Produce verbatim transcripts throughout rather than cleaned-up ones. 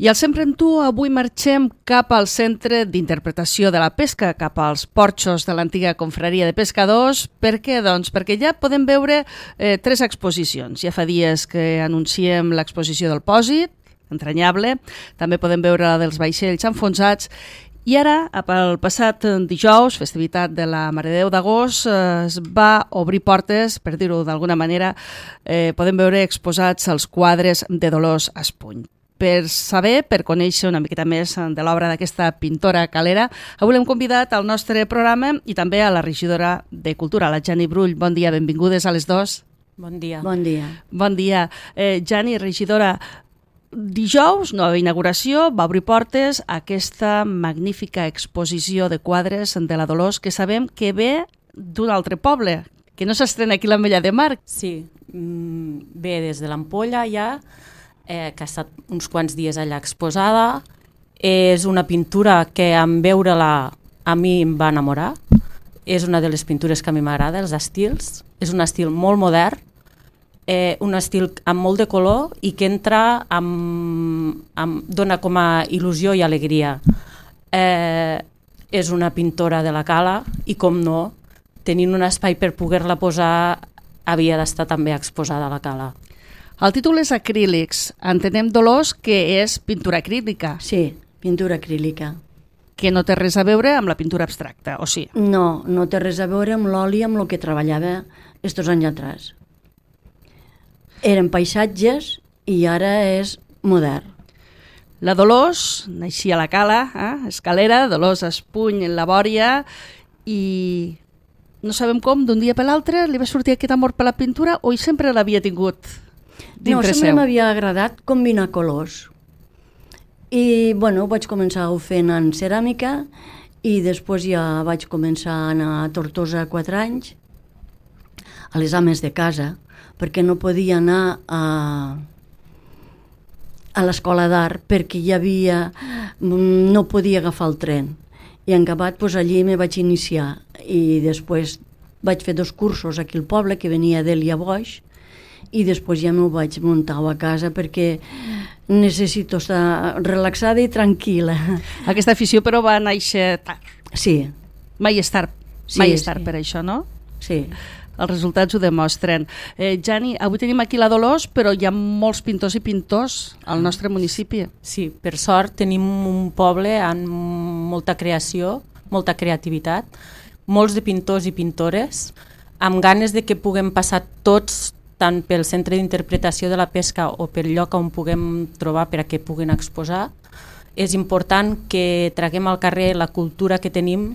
I al Sempre amb tu avui marxem cap al Centre d'Interpretació de la Pesca, cap als porxos de l'antiga confraria de pescadors. Per què? Doncs perquè ja podem veure eh, tres exposicions. Ja fa dies que anunciem l'exposició del Pòsit, entranyable. També podem veure la dels vaixells enfonsats. I ara, el passat dijous, festivitat de la Mare de Déu d'agost, eh, es va obrir portes, per dir-ho d'alguna manera, eh, podem veure exposats els quadres de Dolors Espuny. Per saber, per conèixer una miqueta més de l'obra d'aquesta pintora calera, avui l'hem convidat al nostre programa i també a la regidora de Cultura, la Jani Brull. Bon dia, benvingudes a les dos. Bon dia. Bon dia. Bon dia. Eh, Jani, regidora, dijous, nova inauguració, va obrir portes a aquesta magnífica exposició de quadres de la Dolors, que sabem que ve d'un altre poble, que no s'estrena aquí a l'Ametlla de Mar. Sí, ve des de l'Ampolla ja, eh, que ha estat uns quants dies allà exposada. És una pintura que en veure-la a mi em va enamorar. És una de les pintures que a mi m'agrada, els estils. És un estil molt modern, eh, un estil amb molt de color i que entra amb, amb, dona com a il·lusió i alegria. Eh, és una pintora de la Cala i, com no, tenint un espai per poder-la posar, havia d'estar també exposada a la Cala. El títol és Acrílics. Entenem, Dolors, que és pintura acrílica. Sí, pintura acrílica. Que no té res a veure amb la pintura abstracta, o sí? No, no té res a veure amb l'oli, amb el que treballava estos anys atrás. Eren paisatges i ara és modern. La Dolors naixia a la Cala, eh? Escalera, Dolors Espuny en la Bòria, i no sabem com, d'un dia per l'altre li va sortir aquest amor per la pintura o ell sempre l'havia tingut dintre no, seu? sempre m'havia agradat combinar colors. I, bueno, vaig començar fent en ceràmica i després ja vaig començar a anar a Tortosa quatre anys, a les ames de casa, perquè no podia anar a, a l'escola d'art perquè hi havia... no podia agafar el tren. I en acabat, doncs, allí me vaig iniciar i després vaig fer dos cursos aquí al poble, que venia d'Elia Boix, i després ja m'ho vaig muntar a casa perquè necessito estar relaxada i tranquil·la. Aquesta afició, però, va néixer tard. Sí. Mai és tard, Sí, mai és tard sí. per això, no? Sí. Els resultats ho demostren. Eh, Jani, avui tenim aquí la Dolors, però hi ha molts pintors i pintors al nostre municipi. Sí, per sort tenim un poble amb molta creació, molta creativitat, molts de pintors i pintores, amb ganes de que puguem passar tots, tant pel centre d'interpretació de la pesca o pel lloc on puguem trobar per a que puguin exposar. És important que traguem al carrer la cultura que tenim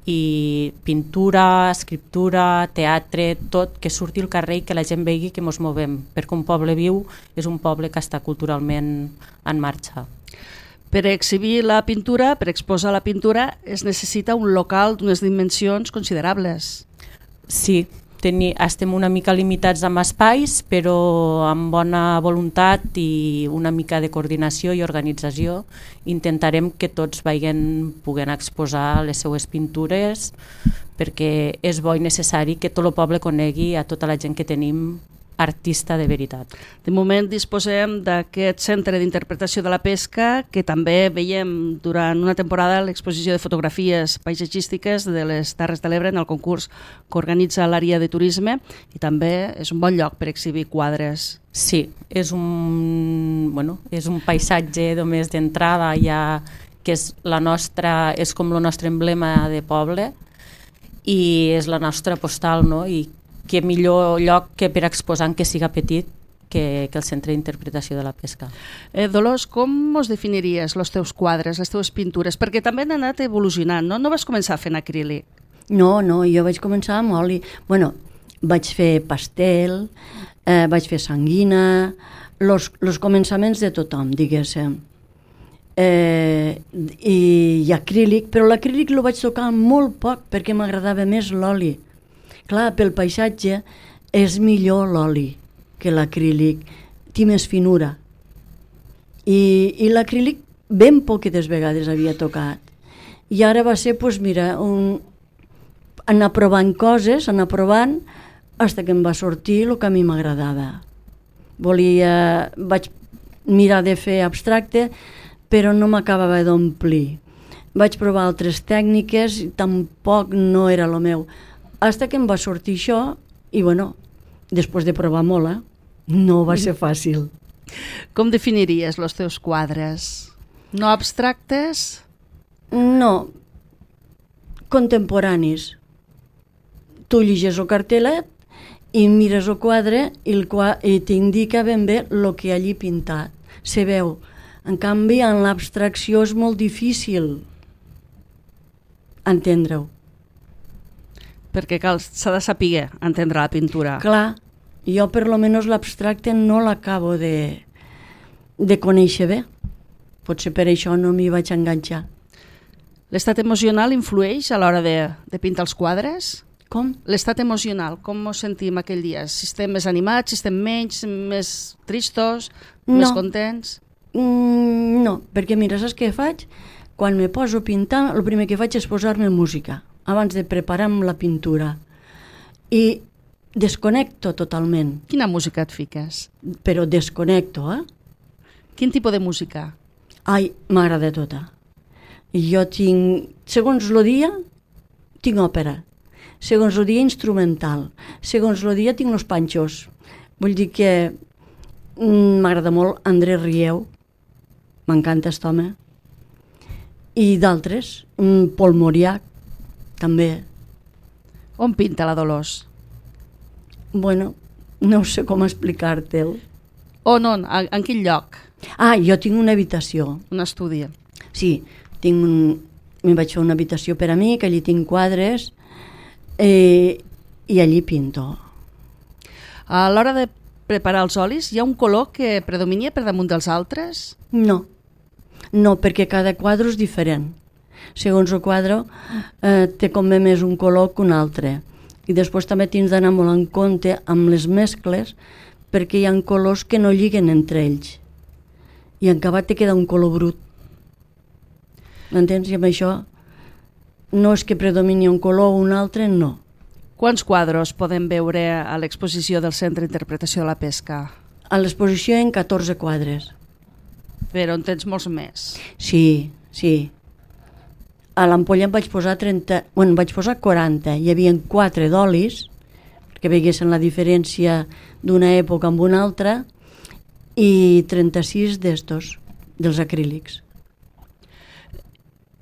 i pintura, escriptura, teatre, tot, que surti al carrer i que la gent vegi que ens movem, perquè un poble viu és un poble que està culturalment en marxa. Per exhibir la pintura, per exposar la pintura, es necessita un local d'unes dimensions considerables. Sí, teni, estem una mica limitats amb espais, però amb bona voluntat i una mica de coordinació i organització intentarem que tots vagin puguent exposar les seues pintures, perquè és bo i necessari que tot el poble conegui a tota la gent que tenim artista de veritat. De moment disposem d'aquest centre d'interpretació de la pesca, que també veiem durant una temporada l'exposició de fotografies paisatgístiques de les Terres de l'Ebre en el concurs que organitza l'àrea de turisme, i també és un bon lloc per exhibir quadres. Sí, és un, bueno, és un paisatge només d'entrada ja, que és, la nostra, és com el nostre emblema de poble i és la nostra postal, no? I que millor lloc que per exposar que siga petit que, que el centre d'interpretació de la pesca. Eh, Dolors, com us definiries els teus quadres, les teves pintures? Perquè també han anat evolucionant, no? No vas començar fent acrílic. No, no, jo vaig començar amb oli. Bueno, vaig fer pastel, eh, vaig fer sanguina, los, los començaments de tothom, diguéssim. Eh, i, i acrílic, però l'acrílic lo vaig tocar molt poc perquè m'agradava més l'oli. Clar, pel paisatge és millor l'oli que l'acrílic, té més finura. I, i l'acrílic ben poques vegades havia tocat. I ara va ser, doncs mira, un, anar provant coses, anar provant, fins que em va sortir el que a mi m'agradava. Volia, vaig mirar de fer abstracte, però no m'acabava d'omplir. Vaig provar altres tècniques i tampoc no era el meu. Hasta que em va sortir això i, bueno, després de provar molt, eh? No va ser fàcil. Com definiries els teus quadres? No abstractes? No, contemporanis. Tu llegeix el cartellet i mires el quadre i, el quadre, i t'indica ben bé el que allí pintat. Se veu. En canvi, en l'abstracció és molt difícil entendre-ho. Perquè cal, s'ha de saber entendre la pintura. Clar, jo per lo menos l'abstracte no l'acabo de, de conèixer bé. Potser per això no m'hi vaig enganxar. L'estat emocional influeix a l'hora de, de pintar els quadres? Com? L'estat emocional, com ens sentim aquell dia? Si estem més animats, si estem menys, més tristos, no. més contents? Mm, no, perquè mira, saps què faig? Quan me poso a pintar, el primer que faig és posar-me música, abans de preparar la pintura. I desconnecto totalment. Quina música et fiques? Però desconnecto, eh? Quin tipus de música? Ai, m'agrada tota. Jo tinc, segons el dia, tinc òpera. Segons el dia, instrumental. Segons el dia, tinc els panxos. Vull dir que mm, m'agrada molt André Rieu. M'encanta aquest home. I d'altres. Mm, Pol Moriac, també. On pinta la Dolors? Bueno, no sé com explicar-te'l. On, on? En, en quin lloc? Ah, jo tinc una habitació. Un estudi. Sí, tinc un... me vaig fer una habitació per a mi, que allí tinc quadres, eh, i allí pinto. A l'hora de preparar els olis, hi ha un color que predomina per damunt dels altres? No, no, perquè cada quadre és diferent. Segons el quadre, eh, té convé més un color que un altre. I després també tens d'anar molt en compte amb les mescles, perquè hi ha colors que no lliguen entre ells. I en acabat te queda un color brut. M'entens? I amb això no és que predomini un color o un altre, no. Quants quadres podem veure a l'exposició del Centre d'Interpretació de la Pesca? A l'exposició hi ha catorze quadres. Però en tens molts més. Sí, sí. A l'ampolla em vaig posar trenta, bueno, em vaig posar quaranta. Hi havia quatre d'olis, perquè veiessin la diferència d'una època amb una altra, i trenta-sis d'estos, dels acrílics.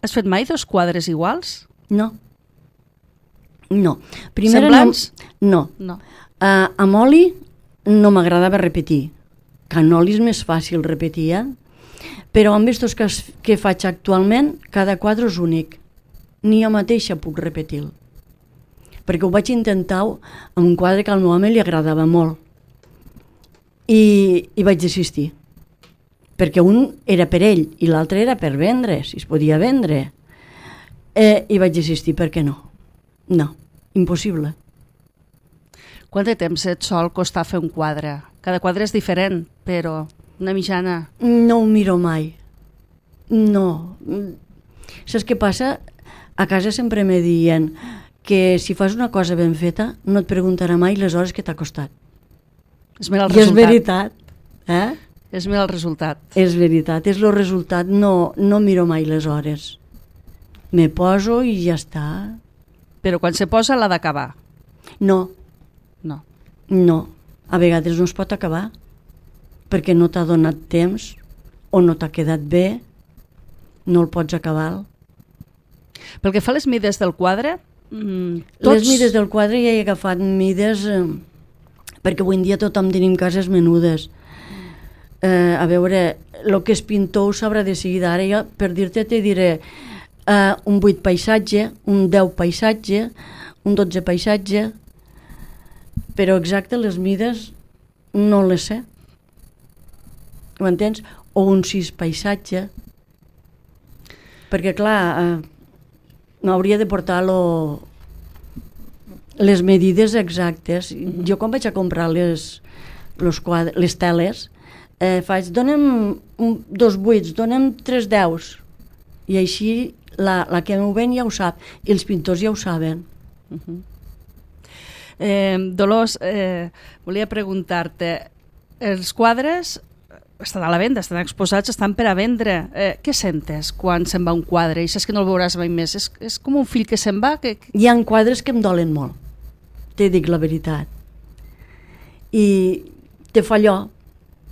Has fet mai dos quadres iguals? No. No. Primera Semblants? No. No. Uh, amb oli no m'agradava repetir, que en oli és més fàcil repetir, eh? Però amb estos que, que faig actualment, cada quadre és únic. Ni jo mateixa puc repetir-lo. Perquè ho vaig intentar amb un quadre que al meu home li agradava molt. I, i vaig desistir. Perquè un era per ell i l'altre era per vendre, si es podia vendre. Eh, I vaig desistir, perquè no. No, impossible. Quant de temps et sol costar fer un quadre? Cada quadre és diferent, però una mitjana... No ho miro mai. No. Saps què passa? A casa sempre me diuen que si fas una cosa ben feta no et preguntarà mai les hores que t'ha costat. És més el I resultat. és veritat. Eh? És més el resultat. És veritat, és el resultat. No, no miro mai les hores. Me poso i ja està. Però quan se posa l'ha d'acabar. No. No. No. A vegades no es pot acabar perquè no t'ha donat temps o no t'ha quedat bé, no el pots acabar. Pel que fa a les mides del quadre, mmm, tots... Les mides del quadre ja he agafat mides eh, perquè avui en dia tothom tenim cases menudes. Eh, a veure, el que és pintor ho sabrà de seguida. Ara jo, per dir-te, te diré eh, un vuit paisatge, un deu paisatge, un dotze paisatge, però exacte les mides no les sé. Ho entens? O un sis paisatge. Perquè, clar, eh, m'hauria de portar lo, les medides exactes. Mm-hmm. Jo quan vaig a comprar les, los quadres, les teles, eh, faig, donem un, dos vuits, donem tres deus. I així la, la que m'ho ven ja ho sap. I els pintors ja ho saben. Uh-huh. eh, Dolors, eh, volia preguntar-te, els quadres estan a la venda, estan exposats, estan per a vendre. Eh, què sentes quan se'n va un quadre i saps que no el veuràs mai més? És, és com un fill que se'n va? Que... Hi ha quadres que em dolen molt, te dic la veritat. I te fa allò.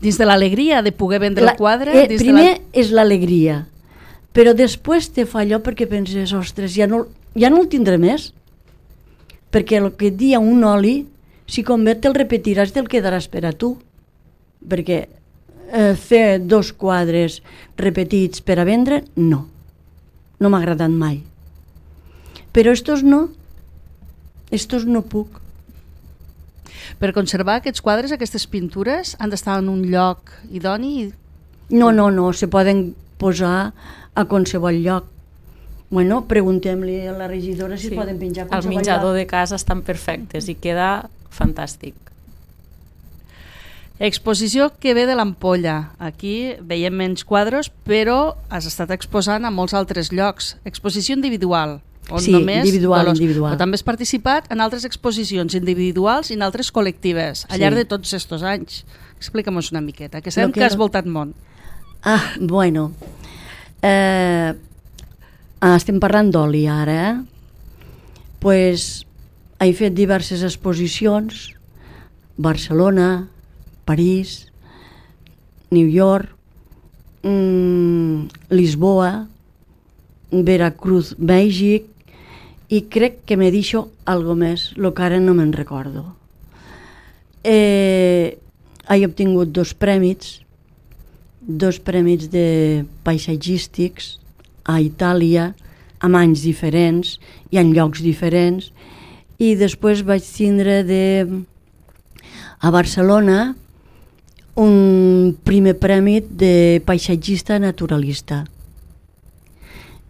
Dins de l'alegria de poder vendre la, el quadre? Eh, dins primer de la... és l'alegria, però després te fa allò perquè penses, ostres, ja no, ja no el tindré més. Perquè el que et dia un oli, si convé te'l repetiràs, te'l quedaràs per a tu. Perquè eh, fer dos quadres repetits per a vendre, no. No m'ha agradat mai. Però estos no. Estos no puc. Per conservar aquests quadres, aquestes pintures, han d'estar en un lloc idoni? No, no, no, se poden posar a qualsevol lloc. Bueno, preguntem-li a la regidora si sí. poden penjar a qualsevol lloc. El menjador de casa estan perfectes i queda fantàstic. Exposició que ve de l'Ampolla. Aquí veiem menys quadros, però has estat exposant a molts altres llocs. Exposició individual. On sí, només individual, valors. individual. Però també has participat en altres exposicions individuals i en altres col·lectives al sí. llarg de tots aquests anys. Explica'm-nos una miqueta, que sabem que, que has no... voltat món. Ah, bueno. Eh, estem parlant d'oli ara, eh? Pues, he fet diverses exposicions, Barcelona, París, New York, mmm, Lisboa, Veracruz, Mèxic, i crec que me deixo algo més, el que ara no me'n recordo. Eh, he obtingut dos prèmits, dos prèmits de paisatgístics a Itàlia, amb anys diferents i en llocs diferents, i després vaig tindre de, a Barcelona un primer premi de paisatgista naturalista.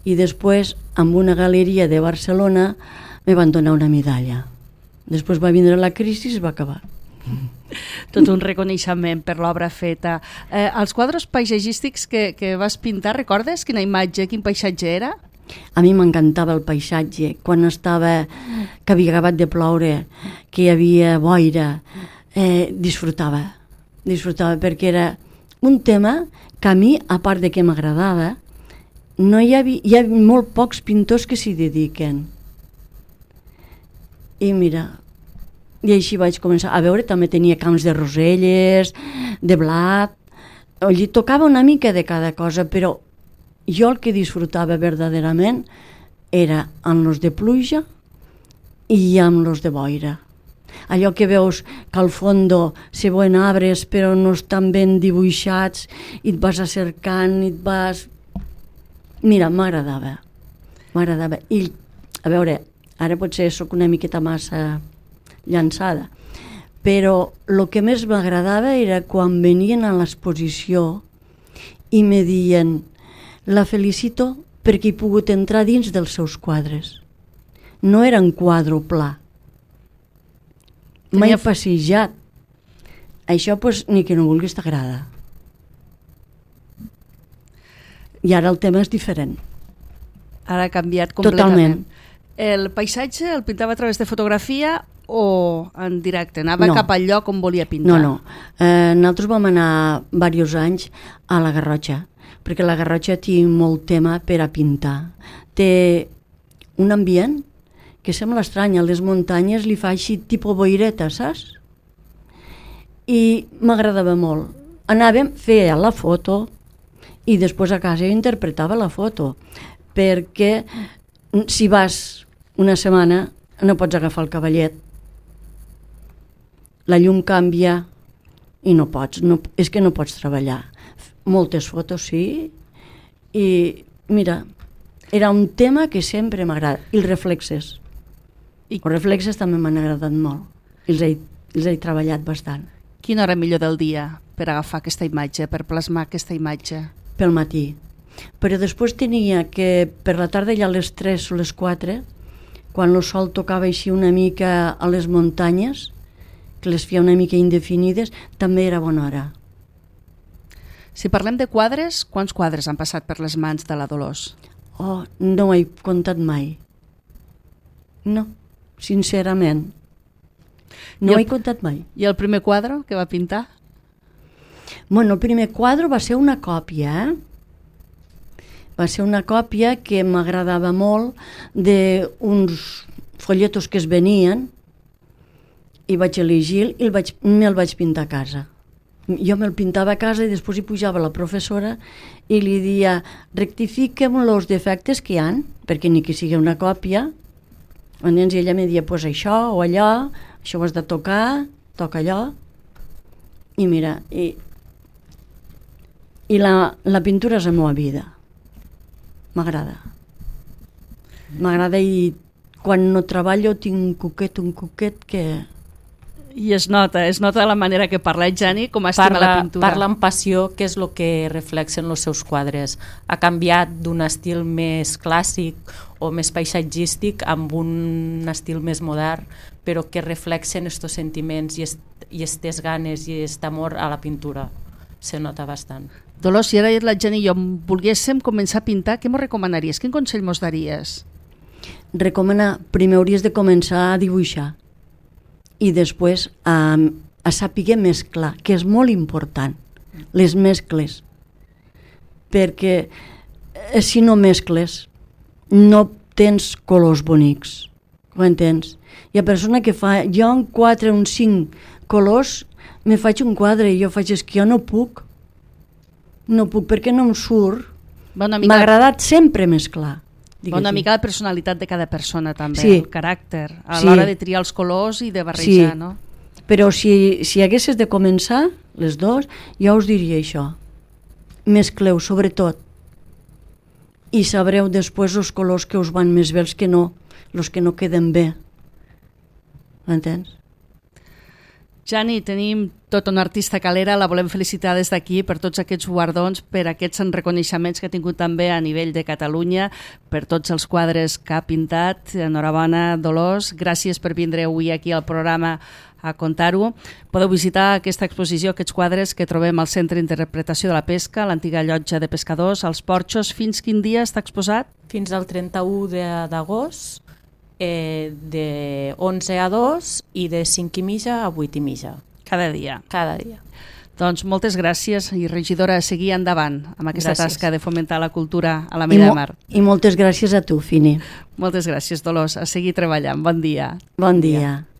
I després, amb una galeria de Barcelona, me van donar una medalla. Després va vindre la crisi i es va acabar. Tot un reconeixement per l'obra feta. Eh, els quadres paisatgístics que, que vas pintar, recordes quina imatge, quin paisatge era? A mi m'encantava el paisatge. Quan estava, que havia acabat de ploure, que hi havia boira, eh, disfrutava. Disfrutava perquè era un tema que a mi, a part de que m'agradava, no hi havia, hi ha molt pocs pintors que s'hi dediquen. I mira, i així vaig començar a veure, també tenia camps de roselles, de blat, allí tocava una mica de cada cosa, però jo el que disfrutava verdaderament era amb los de pluja i amb los de boira. Allò que veus que al fondo se veuen arbres però no estan ben dibuixats i et vas acercant i et vas... Mira, m'agradava, m'agradava. I, a veure, ara potser sóc una miqueta massa llançada, però el que més m'agradava era quan venien a l'exposició i me diuen la felicito perquè he pogut entrar dins dels seus quadres. No era un quadre pla. M'he passejat. Això, pues, ni que no vulguis t'agrada. I ara el tema és diferent. Ara ha canviat completament. Totalment. El paisatge el pintava a través de fotografia o en directe? Anava no. cap al lloc on volia pintar? No, no. Eh, nosaltres vam anar diversos anys a la Garrotxa, perquè la Garrotxa té molt tema per a pintar. Té un ambient que sembla estrany, a les muntanyes li fa així tipus boireta, saps? I m'agradava molt. Anàvem, feia la foto i després a casa interpretava la foto, perquè si vas una setmana no pots agafar el cavallet. La llum canvia i no pots, no, és que no pots treballar. Moltes fotos, sí, i mira, era un tema que sempre m'agrada, i els reflexes. I els reflexes també m'han agradat molt, els he, els he treballat bastant. Quina hora millor del dia per agafar aquesta imatge, per plasmar aquesta imatge? Pel matí. Però després tenia que per la tarda ja a les tres o les quatre, quan el sol tocava així una mica a les muntanyes, que les feia una mica indefinides, també era bona hora. Si parlem de quadres, quants quadres han passat per les mans de la Dolors? Oh, no ho he comptat mai. No, sincerament. No ho he comptat mai. I el primer quadre que va pintar? Bueno, el primer quadre va ser una còpia, eh? Va ser una còpia que m'agradava molt d'uns folletos que es venien i vaig elegir i el vaig, me'l vaig pintar a casa. Jo me'l pintava a casa i després hi pujava la professora i li dia rectifiquem els defectes que hi ha, perquè ni que sigui una còpia. I ella me dia, pues això o allò, això ho has de tocar, toca allò. I mira, i, i la, la pintura és la meva vida. M'agrada. M'agrada i quan no treballo tinc un cuquet, un cuquet que... I es nota, es nota la manera que parla Jani, com estima parla, la pintura. Parla amb passió, que és el que reflexen els seus quadres. Ha canviat d'un estil més clàssic o més paisatgístic amb un estil més modern, però que reflexen estos sentiments i, est, i estes ganes i aquest amor a la pintura. Se nota bastant. Dolors, si ara la Jani i jo volguéssim començar a pintar, què mos recomanaries? Quin consell mos daries? Recomana, primer hauries de començar a dibuixar i després a, a saber mesclar, que és molt important, les mescles, perquè eh, si no mescles no tens colors bonics, ho entens? Hi ha persona que fa, jo en quatre, un cinc colors me faig un quadre i jo faig, és que jo no puc, no puc perquè no em surt. M'ha mica... agradat sempre mesclar. Va una mica la personalitat de cada persona també, sí. El caràcter, a sí. l'hora de triar els colors i de barrejar, sí. no? Però si, si haguessis de començar, les dues, jo us diria això. Mescleu, sobretot. I sabreu després els colors que us van més bé, els que no, els que no queden bé. M'entens? Jani, tenim tot un artista calera, la volem felicitar des d'aquí per tots aquests guardons, per aquests reconeixements que ha tingut també a nivell de Catalunya, per tots els quadres que ha pintat. Enhorabona, Dolors, gràcies per vindre avui aquí al programa a contar-ho. Podeu visitar aquesta exposició, aquests quadres que trobem al Centre d'Interpretació de la Pesca, l'antiga llotja de pescadors, als Porxos. Fins quin dia està exposat? Fins al trenta-u d'agost. Eh, de onze a dos i de cinc i mitja a vuit i mitja. Cada dia. Cada dia. Doncs moltes gràcies i regidora, a seguir endavant amb aquesta gràcies. Tasca de fomentar la cultura a la Mella de Mar. I moltes gràcies a tu, Fini. Moltes gràcies, Dolors. A seguir treballant. Bon dia. Bon dia.